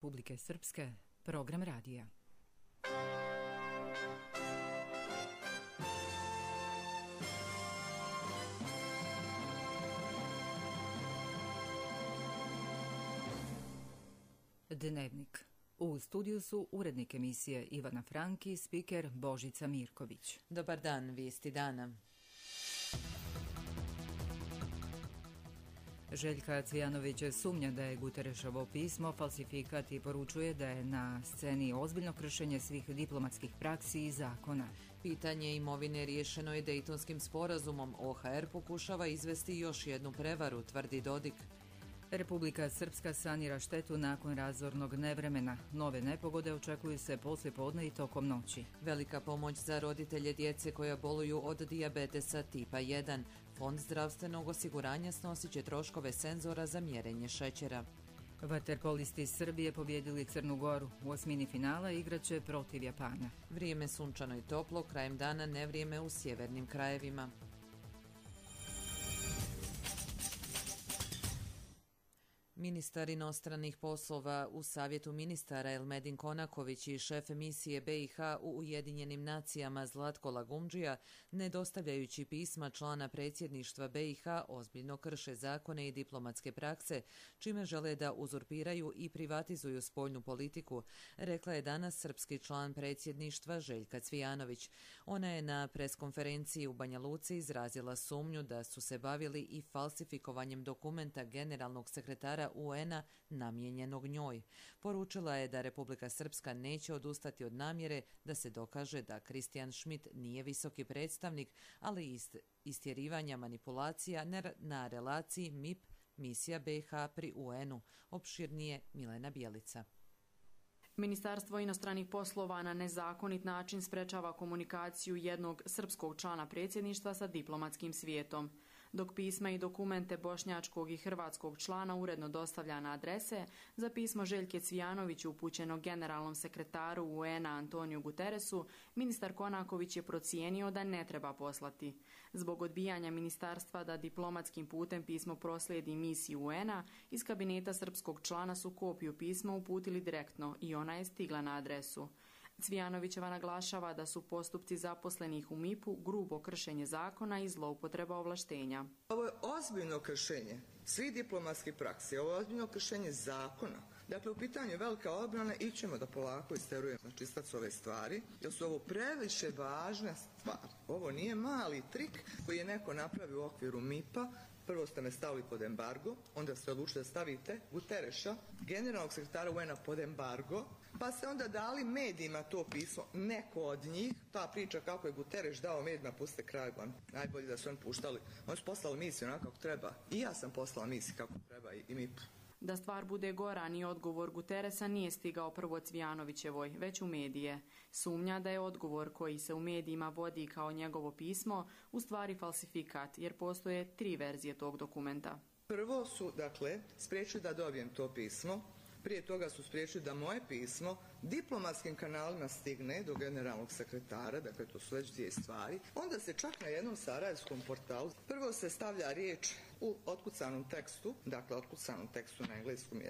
Republike Srpske, program radija. Dnevnik. U studiju su urednik emisije Ivana Franki, spiker Božica Mirković. Dobar dan, vijesti dana. Željka Cvijanović sumnja da je Guterešovo pismo falsifikat i poručuje da je na sceni ozbiljno kršenje svih diplomatskih praksi i zakona. Pitanje imovine riješeno je Dejtonskim sporazumom. OHR pokušava izvesti još jednu prevaru, tvrdi Dodik. Republika Srpska sanira štetu nakon razornog nevremena. Nove nepogode očekuju se poslijepodne i tokom noći. Velika pomoć za roditelje djece koja boluju od dijabetesa tipa 1. Fond zdravstvenog osiguranja snosit će troškove senzora za mjerenje šećera. Vaterpolisti Srbije pobjedili Crnu Goru. U osmini finala igraće protiv Japana. Vrijeme sunčano i toplo, krajem dana nevrijeme u sjevernim krajevima. Ministar inostranih poslova u Savjetu ministara Elmedin Konaković i šef misije BiH u Ujedinjenim nacijama Zlatko Lagumdžija, ne dostavljajući pisma člana predsjedništva BiH, ozbiljno krše zakone i diplomatske prakse, čime žele da uzurpiraju i privatizuju spoljnu politiku, rekla je danas srpski član predsjedništva Željka Cvijanović. Ona je na preskonferenciji u Banja Luci izrazila sumnju da su se bavili i falsifikovanjem dokumenta generalnog sekretara UN-a namijenjenog njoj. Poručila je da Republika Srpska neće odustati od namjere da se dokaže da Kristijan Schmidt nije visoki predstavnik, ali istjerivanja manipulacija na relaciji MIP misija BiH pri UN-u. Opširnije Milena Bjelica. Ministarstvo inostranih poslova na nezakonit način sprečava komunikaciju jednog srpskog člana predsjedništva sa diplomatskim svijetom. Dok pisma i dokumente bošnjačkog i hrvatskog člana uredno dostavlja na adrese, za pismo Željke Cvijanović upućeno generalnom sekretaru UN-a Antoniju Guteresu, ministar Konaković je procijenio da ne treba poslati. Zbog odbijanja ministarstva da diplomatskim putem pismo proslijedi misiji UN-a, iz kabineta srpskog člana su kopiju pisma uputili direktno i ona je stigla na adresu. Cvijanovićeva naglašava da su postupci zaposlenih u MIP-u grubo kršenje zakona i zloupotreba ovlaštenja. Ovo je ozbiljno kršenje svih diplomatskih praksi, ovo je ozbiljno kršenje zakona. Dakle, u pitanju je velika obrana, ićemo da polako isterujemo na čistac ove stvari, jer su ovo previše važne stvari. Ovo nije mali trik koji je neko napravio u okviru MIP-a. Prvo ste me stavili pod embargo, onda ste odlučili da stavite Gutereša, generalnog sekretara UN-a, pod embargo, pa ste onda dali medijima to pismo, neko od njih, ta priča kako je Gutereš dao medijima, puste kraj van, najbolje da su oni puštali, oni su poslali misiju onako kako treba, i ja sam poslala misiju kako treba i MIP. Da stvar bude gora, ni odgovor Guteresa nije stigao prvo Cvijanovićevoj, već u medije. Sumnja da je odgovor koji se u medijima vodi kao njegovo pismo u stvari falsifikat, jer postoje 3 verzije tog dokumenta. Prvo su, dakle, spriječili da dobijem to pismo. Prije toga su spriječili da moje pismo diplomatskim kanalima stigne do generalnog sekretara, dakle to su već 2 stvari. Onda se čak na jednom sarajevskom portalu prvo se stavlja riječ u otkucanom tekstu, dakle otkucanom tekstu na engleskom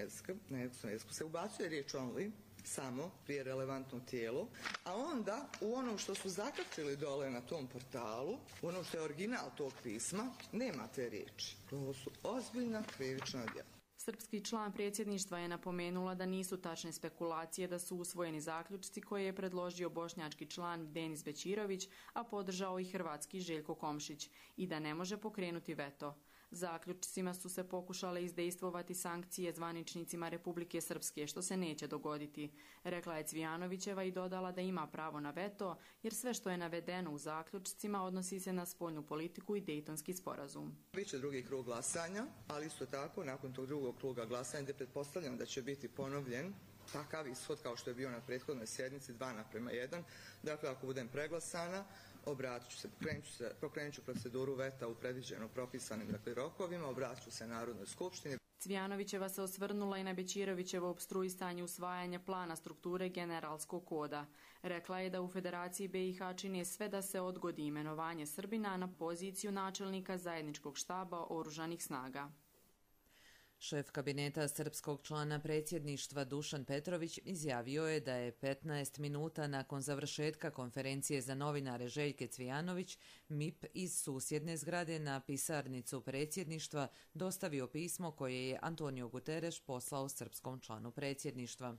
jeziku se ubacuje riječ only, samo prije relevantno tijelo, a onda u onom što su zakačili dole na tom portalu, u onom što je original tog pisma, nema te riječi. Ovo su ozbiljna krivična djela. Srpski član predsjedništva je napomenula da nisu tačne spekulacije da su usvojeni zaključci koje je predložio bošnjački član Denis Bećirović, a podržao i hrvatski Željko Komšić, i da ne može pokrenuti veto. Zaključcima su se pokušale izdejstvovati sankcije zvaničnicima Republike Srpske, što se neće dogoditi, rekla je Cvijanovićeva i dodala da ima pravo na veto, jer sve što je navedeno u zaključcima odnosi se na spoljnu politiku i Dejtonski sporazum. Biće drugi krug glasanja, ali isto tako nakon tog drugog kruga glasanja, gdje pretpostavljam da će biti ponovljen takav ishod kao što je bio na prethodnoj sjednici 2:1. Dakle, ako budem preglasana, pokrenut ću proceduru veta u predviđeno propisanim rokovima, obratit ću se Narodnoj skupštini. Cvijanovićeva se osvrnula i na Bećirovićevo opstruisanje usvajanja plana strukture generalskog koda. Rekla je da u Federaciji BiH čine sve da se odgodi imenovanje Srbina na poziciju načelnika zajedničkog štaba oružanih snaga. Šef kabineta srpskog člana predsjedništva Dušan Petrović izjavio je da je 15 minuta nakon završetka konferencije za novinare Željke Cvijanović MIP iz susjedne zgrade na pisarnicu predsjedništva dostavio pismo koje je Antonio Guterres poslao srpskom članu predsjedništva.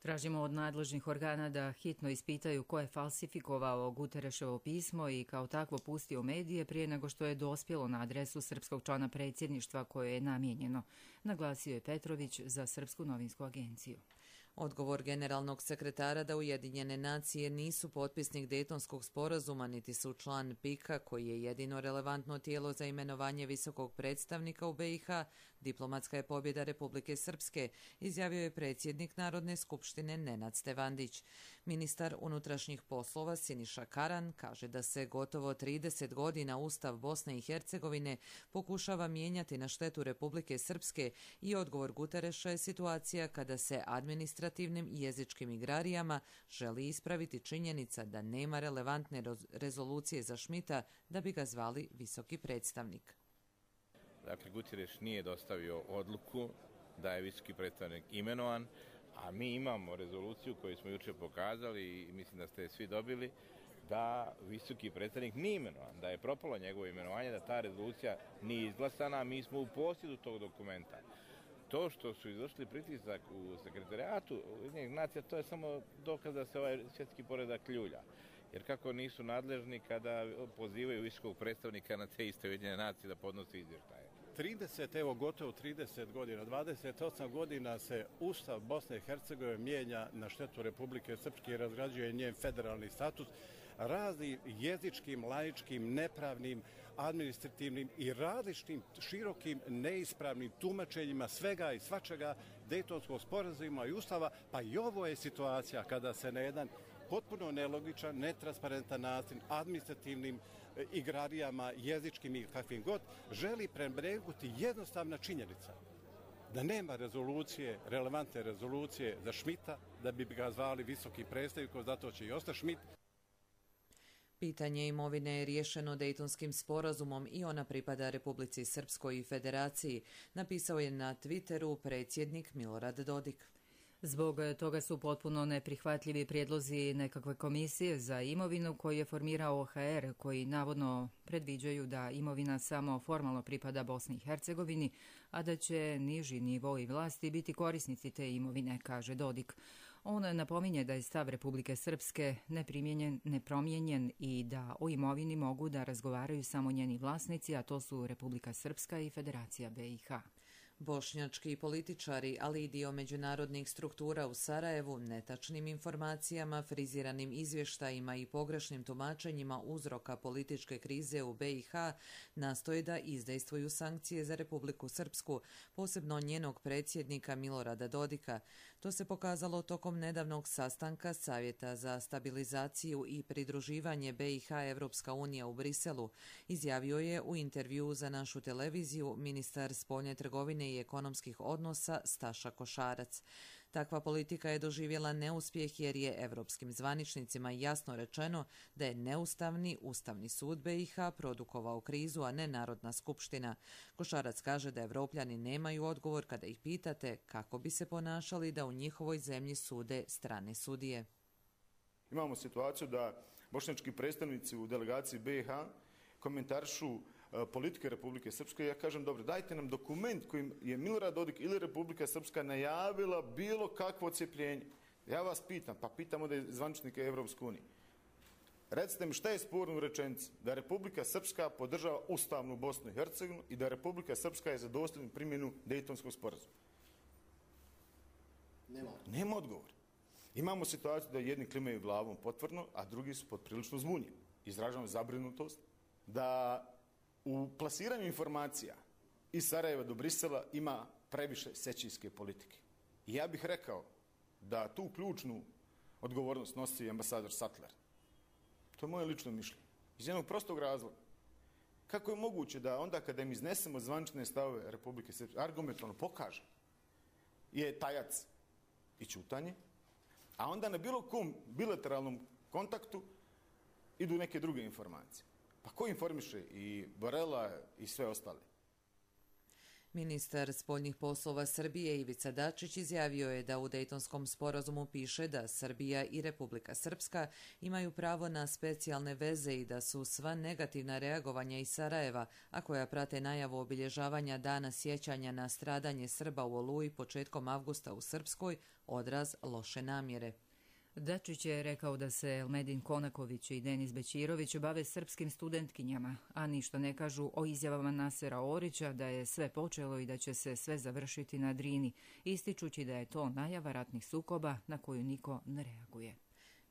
Tražimo od nadležnih organa da hitno ispitaju ko je falsifikovao Guterreševo pismo i kao takvo pustio medije prije nego što je dospjelo na adresu srpskog člana predsjedništva koje je namijenjeno, naglasio je Petrović za Srpsku novinsku agenciju. Odgovor generalnog sekretara da Ujedinjene nacije nisu potpisnik Dejtonskog sporazuma niti su član PIK-a koji je jedino relevantno tijelo za imenovanje visokog predstavnika u BiH, diplomatska je pobjeda Republike Srpske, izjavio je predsjednik Narodne skupštine Nenad Stevandić. Ministar unutrašnjih poslova Siniša Karan kaže da se gotovo 30 godina Ustav Bosne i Hercegovine pokušava mijenjati na štetu Republike Srpske i odgovor Gutereša je situacija kada se administrativnim i jezičkim igrarijama želi ispraviti činjenica da nema relevantne rezolucije za Šmita da bi ga zvali visoki predstavnik. Dakle, Guterres nije dostavio odluku da je visoki predstavnik imenovan, a mi imamo rezoluciju koju smo jučer pokazali i mislim da ste je svi dobili, da visoki predstavnik nije imenovan, da je propalo njegovo imenovanje, da ta rezolucija nije izglasana, mi smo u posjedu tog dokumenta. To što su izvršili pritisak u sekretarijatu Ujedinjenih nacija, to je samo dokaz da se ovaj svjetski poredak ljulja. Jer kako nisu nadležni kada pozivaju visokog predstavnika na te iste Ujedinjene nacije da podnosi izvještaje. Gotovo 30 godina, 28 godina se Ustav Bosne i Hercegovine mijenja na štetu Republike Srpske i razgrađuje njen federalni status raznim jezičkim, laičkim, nepravnim, administrativnim i različitim širokim neispravnim tumačenjima svega i svačega Dejtonskog sporazuma i Ustava, pa i ovo je situacija kada se na jedan potpuno nelogičan, netransparentan način, administrativnim igrarijama, jezičkim i kakvim god, želi prenebregnuti jednostavna činjenica da nema rezolucije, relevantne rezolucije za Šmita, da bi ga zvali visoki predstavnik, zato će i ostati Šmit. Pitanje imovine je riješeno Dejtonskim sporazumom i ona pripada Republici Srpskoj i Federaciji, napisao je na Twitteru predsjednik Milorad Dodik. Zbog toga su potpuno neprihvatljivi prijedlozi nekakve komisije za imovinu koji je formirao OHR, koji navodno predviđaju da imovina samo formalno pripada Bosni i Hercegovini, a da će niži nivoi vlasti biti korisnici te imovine, kaže Dodik. On napominje da je stav Republike Srpske nepromijenjen i da o imovini mogu da razgovaraju samo njeni vlasnici, a to su Republika Srpska i Federacija BiH. Bošnjački političari, ali i dio međunarodnih struktura u Sarajevu, netačnim informacijama, friziranim izvještajima i pogrešnim tumačenjima uzroka političke krize u BiH nastoje da izdejstvuju sankcije za Republiku Srpsku, posebno njenog predsjednika Milorada Dodika. To se pokazalo tokom nedavnog sastanka Savjeta za stabilizaciju i pridruživanje BiH Evropska unija u Briselu, izjavio je u intervjuu za našu televiziju ministar spoljne trgovine i ekonomskih odnosa Staša Košarac. Takva politika je doživjela neuspjeh jer je evropskim zvaničnicima jasno rečeno da je neustavni Ustavni sud BiH produkovao krizu, a ne Narodna skupština. Košarac kaže da Evropljani nemaju odgovor kada ih pitate kako bi se ponašali da u njihovoj zemlji sude strane sudije. Imamo situaciju da bošnjački predstavnici u delegaciji BiH komentarišu politike Republike Srpske. Ja kažem, dobro, dajte nam dokument kojim je Milorad Dodik ili Republika Srpska najavila bilo kakvo odcjepljenje. Ja vas pitam, pa pitamo da je zvaničnike Evropske unije. Recite mi šta je sporno u rečenici? Da Republika Srpska podržava ustavnu Bosnu i Hercegovinu i da Republika Srpska je za dosljednu primjenu Dejtonskog sporazuma. Nema odgovora. Imamo situaciju da jedni klimaju glavom potvrdno, a drugi su poprilično zbunjeni. Izražavam zabrinutost da u plasiranju informacija iz Sarajeva do Brisela ima previše sećijske politike. I ja bih rekao da tu ključnu odgovornost nosi ambasador Sattler. To je moje lično mišljenje. Iz jednog prostog razloga. Kako je moguće da onda kada im iznesemo zvanične stavove Republike Srpske, argumentovano pokaže, je tajac i ćutanje, a onda na bilo kom bilateralnom kontaktu idu neke druge informacije. Pa ko informiše i Borela i sve ostale? Ministar spoljnih poslova Srbije Ivica Dačić izjavio je da u Dejtonskom sporazumu piše da Srbija i Republika Srpska imaju pravo na specijalne veze i da su sva negativna reagovanja iz Sarajeva, a koja prate najavu obilježavanja dana sjećanja na stradanje Srba u Oluji početkom avgusta u Srpskoj, odraz loše namjere. Dačić je rekao da se Elmedin Konaković i Denis Bećirović bave srpskim studentkinjama, a ništa ne kažu o izjavama Nasera Orića da je sve počelo i da će se sve završiti na Drini, ističući da je to najava ratnih sukoba na koju niko ne reaguje.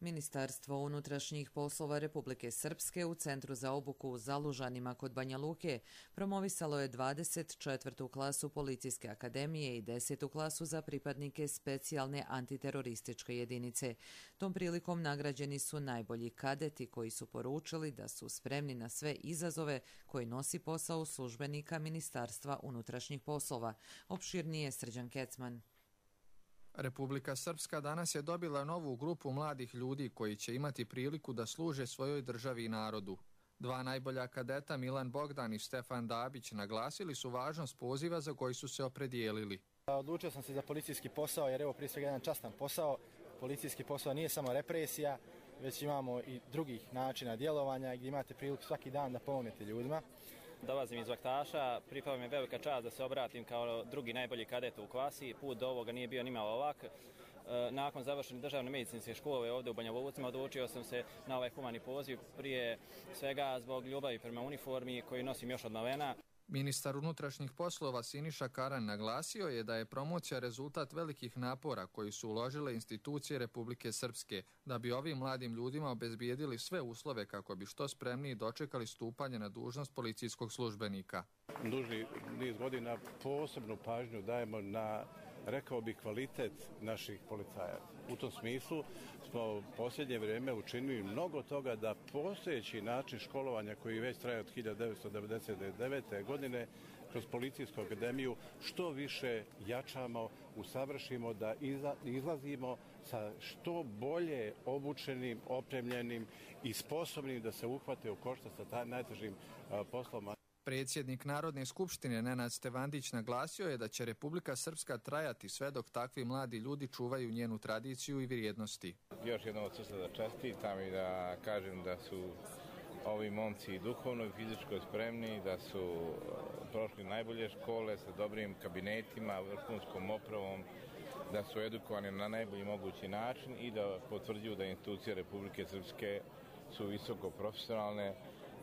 Ministarstvo unutrašnjih poslova Republike Srpske u Centru za obuku u Zalužanima kod Banja Luke promovisalo je 24. klasu Policijske akademije i 10. klasu za pripadnike specijalne antiterorističke jedinice. Tom prilikom nagrađeni su najbolji kadeti koji su poručili da su spremni na sve izazove koji nosi posao službenika Ministarstva unutrašnjih poslova. Opširnije Srđan Kecman. Republika Srpska danas je dobila novu grupu mladih ljudi koji će imati priliku da služe svojoj državi i narodu. Dva najbolja kadeta, Milan Bogdan i Stefan Dabić, naglasili su važnost poziva za koji su se opredijelili. Odlučio sam se za policijski posao jer je ovo prije svega jedan častan posao. Policijski posao nije samo represija, već imamo i drugih načina djelovanja gdje imate priliku svaki dan da pomognete ljudima. Dolazim iz Vaktaša, pripala mi je velika čast da se obratim kao drugi najbolji kadet u klasi. Put do ovoga nije bio nimalo lak. Nakon završene državne medicinske škole ovdje u Banja Luci odlučio sam se na ovaj humani poziv, prije svega zbog ljubavi prema uniformi koju nosim još od malena. Ministar unutrašnjih poslova Siniša Karan naglasio je da je promocija rezultat velikih napora koji su uložile institucije Republike Srpske da bi ovim mladim ljudima obezbijedili sve uslove kako bi što spremniji dočekali stupanje na dužnost policijskog službenika. Duži niz godina posebnu pažnju dajemo na, rekao bih, kvalitet naših policajaca. U tom smislu smo u posljednje vrijeme učinili mnogo toga da postojeći način školovanja koji već traje od 1999. godine kroz Policijsku akademiju što više jačamo, usavršimo, da izlazimo sa što bolje obučenim, opremljenim i sposobnim da se uhvate u koštac sa najtežim poslovima. Predsjednik Narodne skupštine Nenad Stevandić naglasio je da će Republika Srpska trajati sve dok takvi mladi ljudi čuvaju njenu tradiciju i vrijednosti. Još jednom od srca da čestitam i da kažem da su ovi momci duhovno i fizičko spremni, da su prošli najbolje škole sa dobrim kabinetima, vrhunskom opravom, da su edukovani na najbolji mogući način i da potvrđuju da institucije Republike Srpske su visoko profesionalne,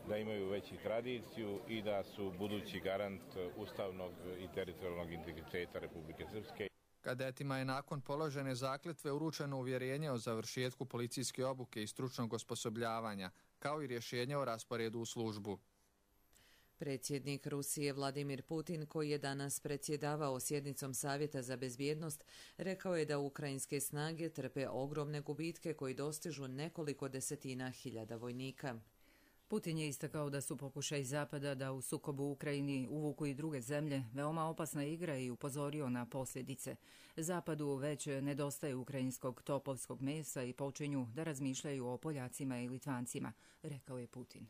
da imaju veću tradiciju i da su budući garant ustavnog i teritorijalnog integriteta Republike Srpske. Kadetima je nakon položene zakletve uručeno uvjerenje o završetku policijske obuke i stručnog osposobljavanja, kao i rješenje o rasporedu u službu. Predsjednik Rusije Vladimir Putin, koji je danas predsjedavao sjednicom Savjeta za bezbjednost, rekao je da ukrajinske snage trpe ogromne gubitke koji dostižu nekoliko desetina hiljada vojnika. Putin je istakao da su pokušaj Zapada da u sukobu u Ukrajini uvuku i druge zemlje veoma opasna igra i upozorio na posljedice. Zapadu već nedostaje ukrajinskog topovskog mesa i počinju da razmišljaju o Poljacima i Litvancima, rekao je Putin.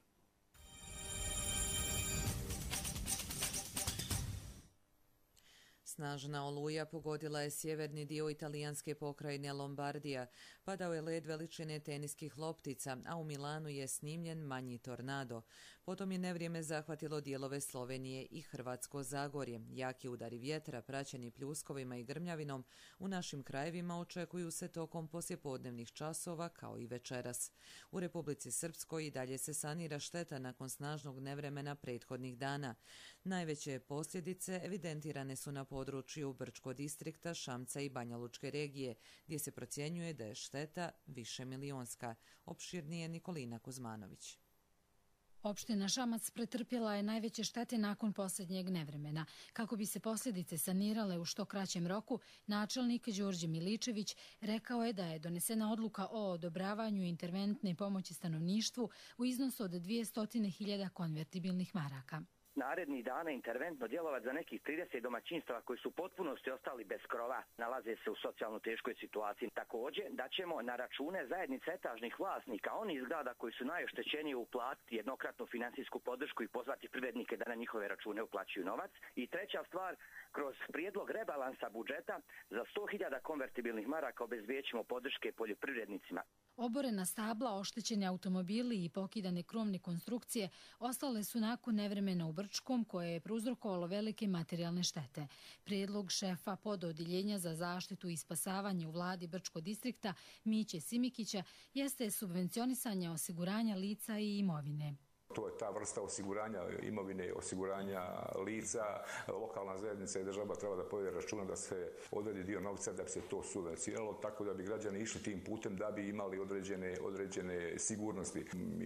Snažna oluja pogodila je sjeverni dio italijanske pokrajine Lombardija. Padao je led veličine teniskih loptica, a u Milanu je snimljen manji tornado. Potom je nevrijeme zahvatilo dijelove Slovenije i Hrvatsko Zagorje. Jaki udari vjetra, praćeni pljuskovima i grmljavinom, u našim krajevima očekuju se tokom poslijepodnevnih časova kao i večeras. U Republici Srpskoj i dalje se sanira šteta nakon snažnog nevremena prethodnih dana. Najveće posljedice evidentirane su na području Brčko distrikta, Šamca i Banja Lučke regije, gdje se procjenjuje da je šteta višemilionska. Opširnije Nikolina Kuzmanović. Opština Šamac pretrpjela je najveće štete nakon posljednjeg nevremena. Kako bi se posljedice sanirale u što kraćem roku, načelnik Đorđe Miličević rekao je da je donesena odluka o odobravanju interventne pomoći stanovništvu u iznosu od 200.000 konvertibilnih maraka. narednih dana interventno djelovati za nekih 30 domaćinstava koji su u potpunosti ostali bez krova, nalaze se u socijalno teškoj situaciji. Također da ćemo na račune zajednice etažnih vlasnika onih zgrada koji su najoštećeniji uplatiti jednokratnu finansijsku podršku i pozvati privrednike da na njihove račune uplaćuju novac. I treća stvar, kroz prijedlog rebalansa budžeta za 100.000 konvertibilnih maraka obezbijećemo podrške poljoprivrednicima. Oborena stabla, oštećeni automobili i pokidane krovne konstrukcije ostale su nakon nevremena u Brčkom koje je prouzrokovalo velike materijalne štete. Prijedlog šefa pododjeljenja za zaštitu i spasavanje u vladi Brčkog distrikta Miće Simikića jeste subvencionisanje osiguranja lica i imovine. To je ta vrsta osiguranja imovine, osiguranja lica. Lokalna zajednica i država treba da povede računa da se odredi dio novca da bi se to subvencioniralo, tako da bi građani išli tim putem da bi imali određene sigurnosti.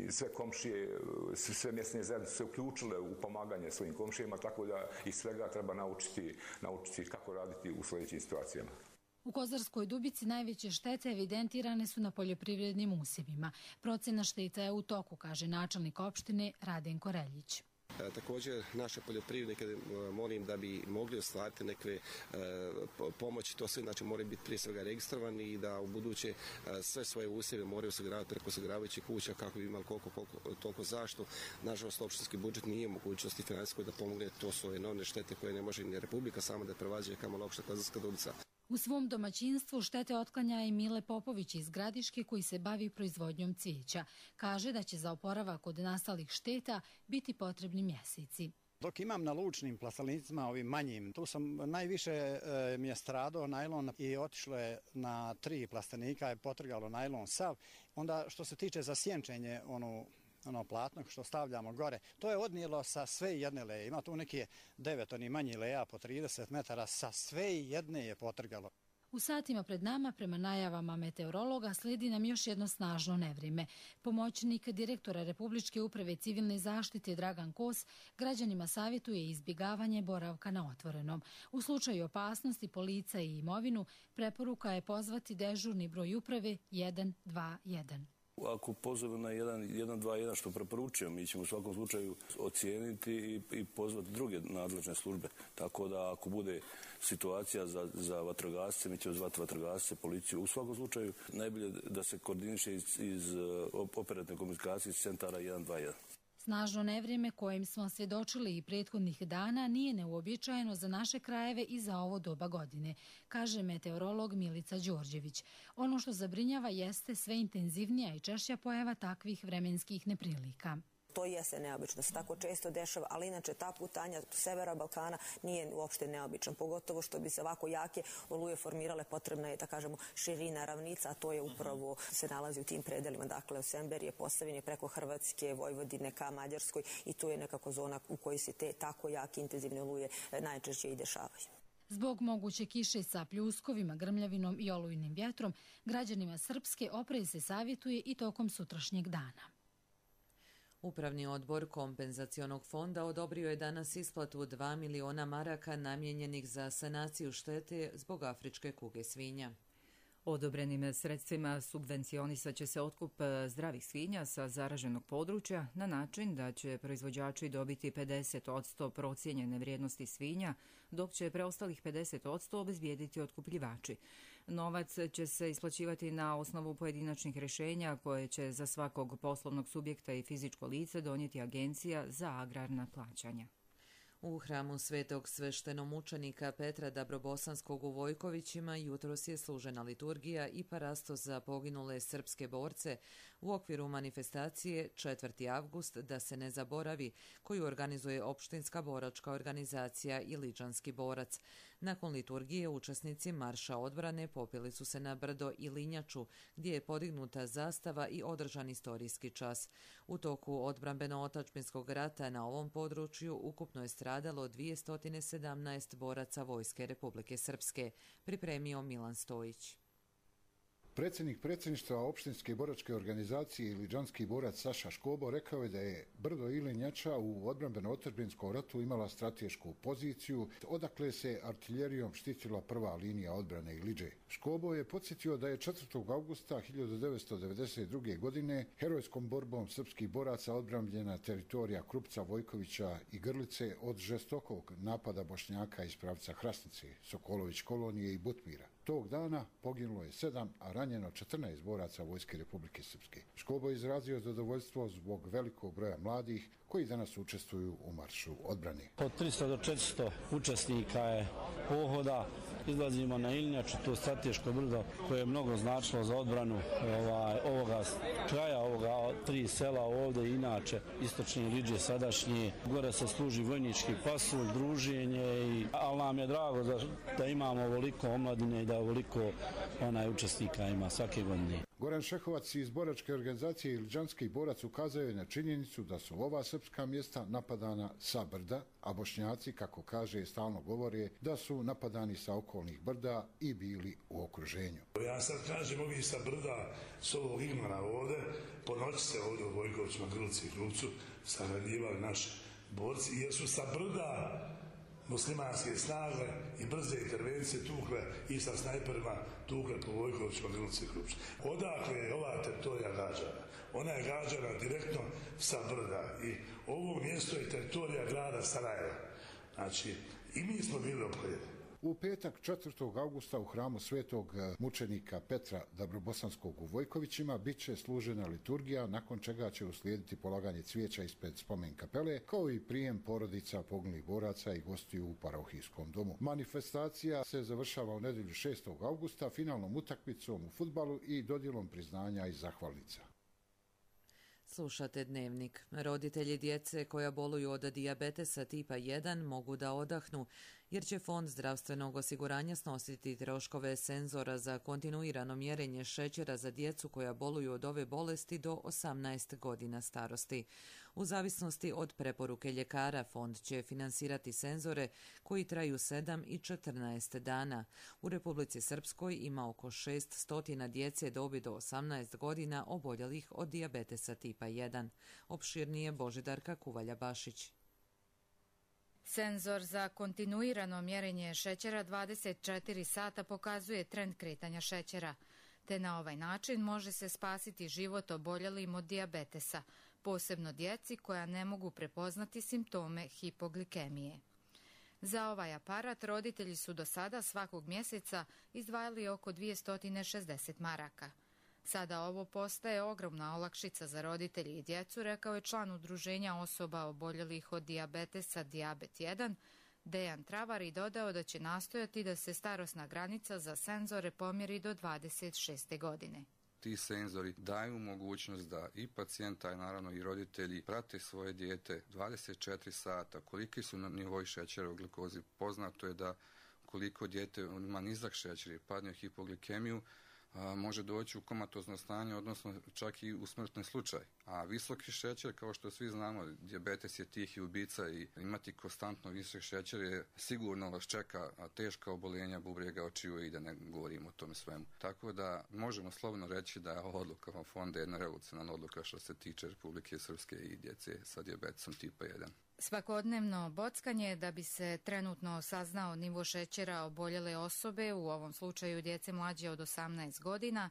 Sve komšije, sve mjesne zajednice se uključile u pomaganje svojim komšijama, tako da iz svega treba naučiti kako raditi u sljedećim situacijama. U Kozarskoj Dubici najveće štete evidentirane su na poljoprivrednim usjevima. Procena šteta je u toku, kaže načelnik opštine Radenko Reljić. Također naše poljoprivrednike molim da bi mogli ostvariti neke pomoći, to sve znači moraju biti prije svega registrovani i da u buduće sve svoje usjeve moraju osiguravati preko osiguravajućih kuća kako bi imali koliko toliko zaštitu. Nažalost, opštinski budžet nije u mogućnosti financijskoj da pomogne, to su enormne štete koje ne može ni Republika sama da prevađuje kamoli opšta Kozarska Dubica. U svom domaćinstvu štete otklanja i Mile Popović iz Gradiške koji se bavi proizvodnjom cvijeća. Kaže da će za oporavak od nastalih šteta biti potrebni mjeseci. Dok imam na lučnim plastenicima, ovim manjim, tu sam najviše mi je stradao najlon i otišlo je na 3 plastenika, je potrgalo najlon sav. Onda što se tiče za sjenčenje, ono platno što stavljamo gore, to je odnijelo sa sve jedne leje. Ima tu neki 9 oni manji leja po 30 metara, sa sve jedne je potrgalo. U satima pred nama, prema najavama meteorologa, slijedi nam još jedno snažno nevrijeme. Pomoćnik direktora Republičke uprave civilne zaštite Dragan Kos građanima savjetuje izbjegavanje boravka na otvorenom. U slučaju opasnosti po lica i imovinu, preporuka je pozvati dežurni broj uprave 121. Ako pozove na 121 što preporučujem, mi ćemo u svakom slučaju ocijeniti i pozvati druge nadležne službe. Tako da ako bude situacija za vatrogasce, mi ćemo zvati vatrogasce, policiju. U svakom slučaju najbolje da se koordiniše iz operativne komunikacije iz centara 121. Snažno nevrijeme kojim smo svjedočili i prethodnih dana nije neuobičajeno za naše krajeve i za ovo doba godine, kaže meteorolog Milica Đorđević. Ono što zabrinjava jeste sve intenzivnija i češća pojava takvih vremenskih neprilika. To jeste neobično, se tako često dešava, ali inače ta putanja severa Balkana nije uopšte neobičan, pogotovo što bi se ovako jake oluje formirale, potrebna je, da kažemo, širina ravnica, a to je upravo se nalazi u tim predelima, dakle u Semberije, Posavine, preko Hrvatske, Vojvodine ka Mađarskoj i tu je nekako zona u kojoj se te tako jake intenzivne oluje najčešće i dešavaju. Zbog moguće kiše sa pljuskovima, grmljavinom i olujnim vjetrom, građanima Srpske oprez se savjetuje i tokom sutrašnjeg dana. Upravni odbor kompenzacionog fonda odobrio je danas isplatu 2 miliona maraka namijenjenih za sanaciju štete zbog afričke kuge svinja. Odobrenim sredstvima subvencionisat će se otkup zdravih svinja sa zaraženog područja na način da će proizvođači dobiti 50% procijenjene vrijednosti svinja, dok će preostalih 50% obezbijediti otkupljivači. Novac će se isplaćivati na osnovu pojedinačnih rješenja koje će za svakog poslovnog subjekta i fizičko lice donijeti Agencija za agrarna plaćanja. U hramu svetog sveštenomučenika Petra Dabrobosanskog u Vojkovićima jutros je služena liturgija i parasto za poginule srpske borce u okviru manifestacije 4. avgust da se ne zaboravi, koju organizuje opštinska boračka organizacija Iliđanski borac. Nakon liturgije učesnici Marša odbrane popili su se na brdo Ilinjaču, gdje je podignuta zastava i održan istorijski čas. U toku odbrambeno-otačbinskog rata na ovom području ukupno je stradalo 217 boraca Vojske Republike Srpske, pripremio Milan Stojić. Predsjednik predsjedništva opštinske boračke organizacije Iliđanski borac Saša Škobo rekao je da je brdo Ilinjača u odbrambeno-otadžbinskom ratu imala stratešku poziciju, odakle se artiljerijom štitila prva linija odbrane Iliđe. Škobo je podsjetio da je 4. augusta 1992. godine herojskom borbom srpskih boraca odbrambljena teritorija Krupca, Vojkovića i Grlice od žestokog napada Bošnjaka iz pravca Hrasnice, Sokolović kolonije i Butmira. Tog dana poginulo je 7, a ranjeno 14 boraca Vojske Republike Srpske. Škobo je izrazio zadovoljstvo zbog velikog broja mladih koji danas učestvuju u maršu odbrane. Od 300 do 400 učesnika je pohoda. Izlazimo na Ilinjaču, to strateško brdo koje je mnogo značilo za odbranu ovoga kraja, ovoga 3 sela ovdje, inače istočne Iliđe sadašnje. Gore se služi vojnički pasulj, druženje, ali nam je drago da imamo ovoliko omladine i da ovoliko učesnika ima svake godine. Goran Šehovac iz boračke organizacije Iliđanski borac ukazao je na činjenicu da su ova srpska mjesta napadana sa brda, a Bošnjaci, kako kaže, stalno govore da su napadani sa okolnih brda i bili u okruženju. Ja sad kažem, ovi sa brda, s ovog Igmana ovde, po noći se ovdje u Vojkovićima, Grlici i Krupcu sahranjivali naši borci, jer su sa brda muslimanske snage i brze intervencije tukle i sa snajperima tukle po Vojkovićima, Grlici i Krupcu. Odakle je ova teritorija gađana? Ona je gađana direktno sa brda i ovo mjesto je teritorija grada Sarajeva. Znači, i mi smo bili opkoljeni. U petak 4. augusta u hramu svetog mučenika Petra Dabrobosanskog u Vojkovićima bit će služena liturgija, nakon čega će uslijediti polaganje cvijeća ispred spomen kapele, kao i prijem porodica poginulih boraca i gostiju u parohijskom domu. Manifestacija se završava u nedjelju 6. augusta finalnom utakmicom u fudbalu i dodjelom priznanja i zahvalnica. Slušate Dnevnik. Roditelji djece koja boluju od dijabetesa tipa 1 mogu da odahnu, jer će Fond zdravstvenog osiguranja snositi troškove senzora za kontinuirano mjerenje šećera za djecu koja boluju od ove bolesti do 18 godina starosti. U zavisnosti od preporuke ljekara, Fond će finansirati senzore koji traju 7 i 14 dana. U Republici Srpskoj ima oko 600 djece dobi do 18 godina oboljelih od dijabetesa tipa 1. Opširnije Božidarka Kuvalja-Bašić. Senzor za kontinuirano mjerenje šećera 24 sata pokazuje trend kretanja šećera, te na ovaj način može se spasiti život oboljelim od dijabetesa, posebno djeci koja ne mogu prepoznati simptome hipoglikemije. Za ovaj aparat roditelji su do sada svakog mjeseca izdvajali oko 260 maraka. Sada ovo postaje ogromna olakšica za roditelji i djecu, rekao je član udruženja osoba oboljelih od dijabetesa Dijabet 1, Dejan Travar, i dodao da će nastojati da se starosna granica za senzore pomjeri do 26. godine. Ti senzori daju mogućnost da i pacijenta, i naravno i roditelji prate svoje dijete 24 sata, koliki su nivoi šećera u glikozi. Poznato je da koliko dijete ima nizak šećer i padne u hipoglikemiju, može doći u komatozno stanje, odnosno čak i u smrtni slučaj. A visoki šećer, kao što svi znamo, dijabetes je tihi ubica i imati konstantno visok šećer je sigurno vas čeka teška oboljenja bubrega, očiju i da ne govorimo o tome svemu. Tako da možemo slobodno reći da je odluka fonda jedna revolucionarna odluka što se tiče Republike Srpske i djece sa dijabetesom tipa 1. Svakodnevno bockanje da bi se trenutno saznao nivo šećera oboljele osobe, u ovom slučaju djece mlađe od 18 godina,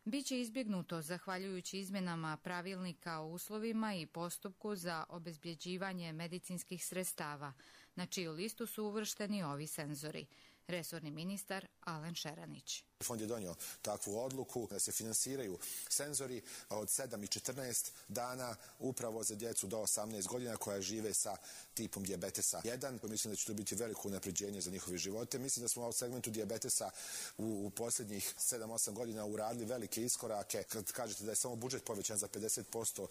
biće izbjegnuto zahvaljujući izmjenama pravilnika o uslovima i postupku za obezbjeđivanje medicinskih sredstava, na čiju listu su uvršteni ovi senzori. Resorni ministar Alen Šeranić. Fond je donio takvu odluku da se finansiraju senzori od 7 i 14 dana upravo za djecu do 18 godina koja žive sa tipom dijabetesa 1. Mislim da će to biti veliko unapređenje za njihove živote. Mislim da smo u segmentu dijabetesa u posljednjih 7-8 godina uradili velike iskorake. Kad kažete da je samo budžet povećan za 50%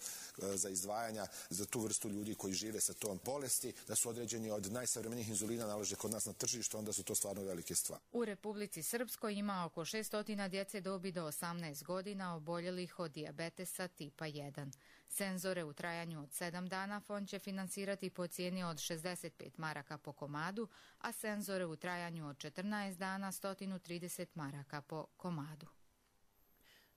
za izdvajanja za tu vrstu ljudi koji žive sa tom bolesti, da su određeni od najsavremenijih inzulina nalaže kod nas na tržištu, onda su to stvarno velike stvari. U Republici Srpskoj ima oko 600 djece dobi do 18 godina oboljelih od dijabetesa tipa 1. Senzore u trajanju od 7 dana Fond će finansirati po cijeni od 65 maraka po komadu, a senzore u trajanju od 14 dana 130 maraka po komadu.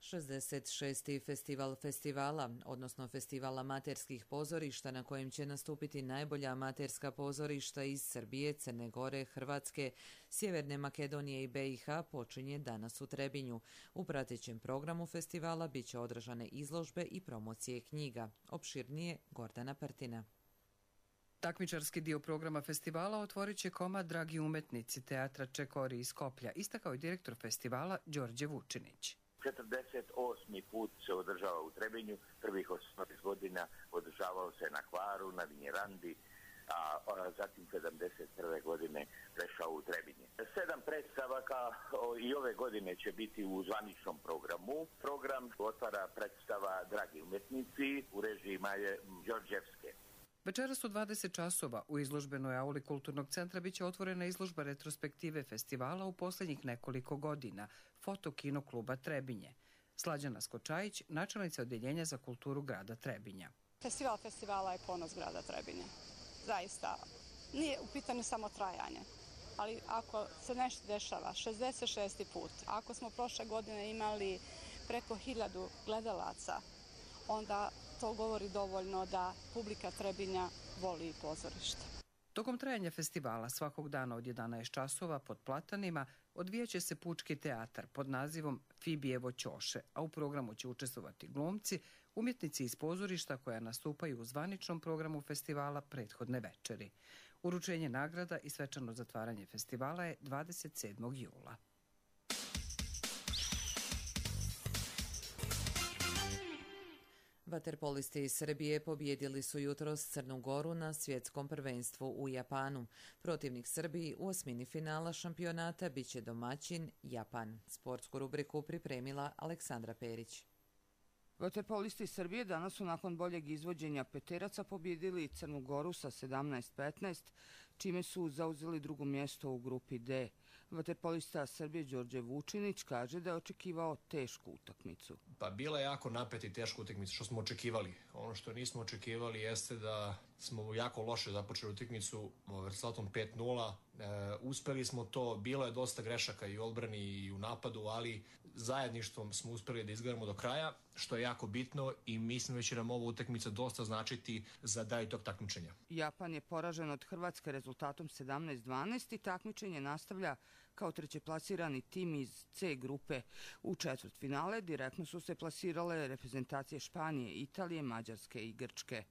66. festival festivala, odnosno festival amaterskih pozorišta na kojem će nastupiti najbolja amaterska pozorišta iz Srbije, Crne Gore, Hrvatske, Sjeverne Makedonije i BiH, počinje danas u Trebinju. U pratećem programu festivala bit će održane izložbe i promocije knjiga. Opširnije Gordana Prtina. Takmičarski dio programa festivala otvorit će komad Dragi umetnici teatra Čekori iz Skoplja, istakao je direktor festivala Đorđe Vučinić. 48. put se održava u Trebinju, prvih 18 godina održavao se na Hvaru, na Vinjerandi, a zatim 71. godine prešao u Trebinje. 7 predstava i ove godine će biti u zvaničnom programu. Program otvara predstava Dragi umetnici u režiji Maje Đorđevske. Večeras u 20 časova u izložbenoj auli Kulturnog centra biće otvorena izložba retrospektive festivala u posljednjih nekoliko godina, Foto kino kluba Trebinje. Slađana Skočajić, načelnica Odjeljenja za kulturu grada Trebinja. Festival festivala je ponos grada Trebinje. Zaista, nije u pitanju samo trajanje, ali ako se nešto dešava, 66. put, ako smo prošle godine imali preko 1000 gledalaca, onda to govori dovoljno da publika Trebinja voli pozorište. Tokom trajanja festivala svakog dana od 11 časova pod platanima odvijaće se pučki teatar pod nazivom Fibijevo ćoše, a u programu će učestvovati glumci, umjetnici iz pozorišta koja nastupaju u zvaničnom programu festivala prethodne večeri. Uručenje nagrada i svečano zatvaranje festivala je 27. jula. Vaterpolisti iz Srbije pobijedili su jutros Crnu Goru na svjetskom prvenstvu u Japanu. Protivnik Srbiji u osmini finala šampionata biće domaćin Japan. Sportsku rubriku pripremila Aleksandra Perić. Vaterpolisti Srbije danas su nakon boljeg izvođenja peteraca pobijedili Crnu Goru sa 17-15, čime su zauzeli drugo mjesto u grupi D. Vaterpolista Srbije Đorđe Vučinić kaže da je očekivao tešku utakmicu. Pa bila je jako napeta i teška utakmica, što smo očekivali. Ono što nismo očekivali jeste da smo jako loše započeli utakmicu rezultatom 5-0. Uspeli smo to, bilo je dosta grešaka i u odbrani i u napadu, ali zajedništvom smo uspeli da izgledamo do kraja, što je jako bitno i mislim da će nam ova utakmica dosta značiti za dalje tog takmičenja. Japan je poražen od Hrvatske rezultatom 17-12 i takmičenje nastavlja kao trećeplasirani tim iz C grupe. U četvrtfinale direktno su se plasirale reprezentacije Španije, Italije, Mađarske i Grčke.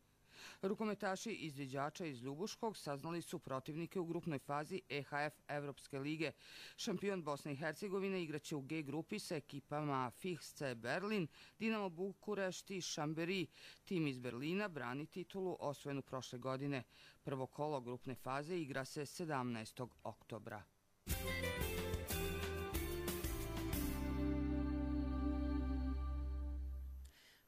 Rukometaši izviđača iz Ljubuškog saznali su protivnike u grupnoj fazi EHF Evropske lige. Šampion Bosne i Hercegovine igraće u G grupi sa ekipama FIHC Berlin, Dinamo Bukurešt i Šamberi. Tim iz Berlina brani titulu osvojenu prošle godine. Prvo kolo grupne faze igra se 17. oktobra.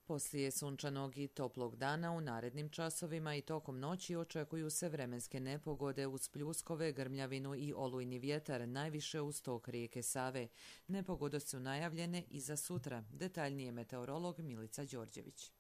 Poslije sunčanog i toplog dana u narednim časovima i tokom noći očekuju se vremenske nepogode uz pljuskove, grmljavinu i olujni vjetar, najviše uz tok rijeke Save. Nepogode su najavljene i za sutra. Detaljnije meteorolog Milica Đorđević.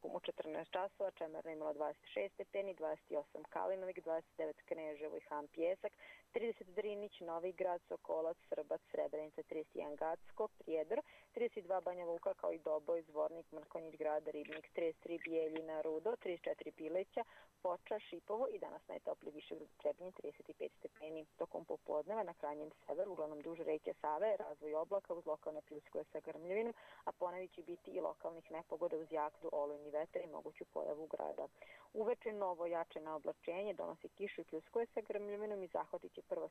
U 14 časova Čemerna imala 26 stepeni, 28 Kalinovik, 29 Kneževo i Han Pjesak, 30 Drinić, Novi Grad, Sokolac, Srbac, Srebrenica, 31 Gacko, Prijedor, 32 Banja Luka kao i Doboj, Zvornik, Mrkonjić Grad, Ribnik, 33 Bijeljina, Rudo, 34 Pileća, Foča, Šipovo i danas najtopliji Višegrad Trebinje 35 stepeni. Tokom popodneva na krajnjem severu, uglavnom duž reke Save, razvoj oblaka uz lokalne pljuskove sa grmljavinom, a ponavit će biti i lokalnih nepogoda uz jak olujni vetar i moguću pojavu grada. Uveče novo jače na oblačenje donosi kišu i pljuskove sa grmljavinom i zahvatit će prvo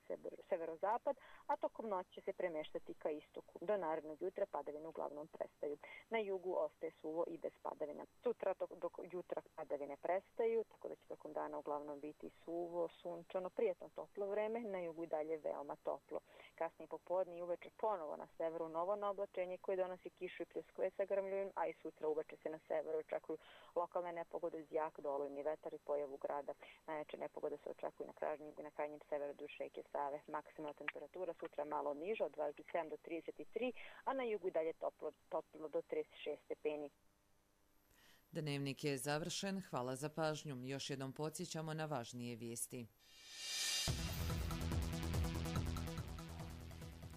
severozapad, a tokom noći će se premeštati ka istoku. Do narednog jutra padavine uglavnom prestaju. Na jugu ostaje suvo i bez padavina. Sutra dok jutra padavine prestaju, tako da će tokom dana uglavnom biti suvo, sunčano, prijetno toplo vreme, na jugu i dalje veoma toplo. Kasnije popodne i uveče ponovo na severu novo na oblačenje koje donosi kišu i pljuskove sa grmljavinom, a i sutra uveče se na severu očekuju lokalne nepogode uz jak olujni vetar i pojavu grada. Najjače nepogode se očekuju na krajnjem severu duž reke Save. Maksimalna temperatura sutra malo niža od 27 do 33, a na jugu i dalje toplo do 36 stepeni. Dnevnik je završen. Hvala za pažnju. Još jednom podsjećamo na važnije vijesti.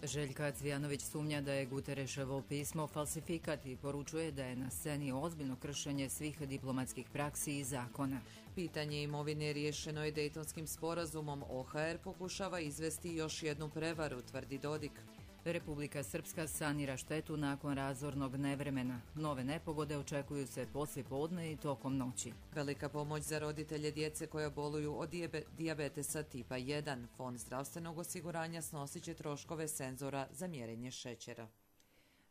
Željka Cvijanović sumnja da je Gutereševo pismo falsifikat i poručuje da je na sceni ozbiljno kršenje svih diplomatskih praksi i zakona. Pitanje imovine riješeno je Dejtonskim sporazumom. OHR pokušava izvesti još jednu prevaru, tvrdi Dodik. Republika Srpska sanira štetu nakon razornog nevremena. Nove nepogode očekuju se poslijepodne i tokom noći. Velika pomoć za roditelje djece koja boluju od dijabetesa tipa 1. Fond zdravstvenog osiguranja snosit će troškove senzora za mjerenje šećera.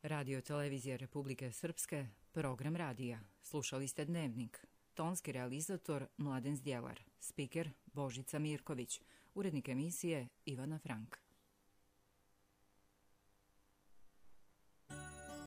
Radio televizija Republike Srpske, program radija. Slušali ste Dnevnik. Tonski realizator Mladen Zdjelar. Spiker Božica Mirković. Urednik emisije Ivana Frank.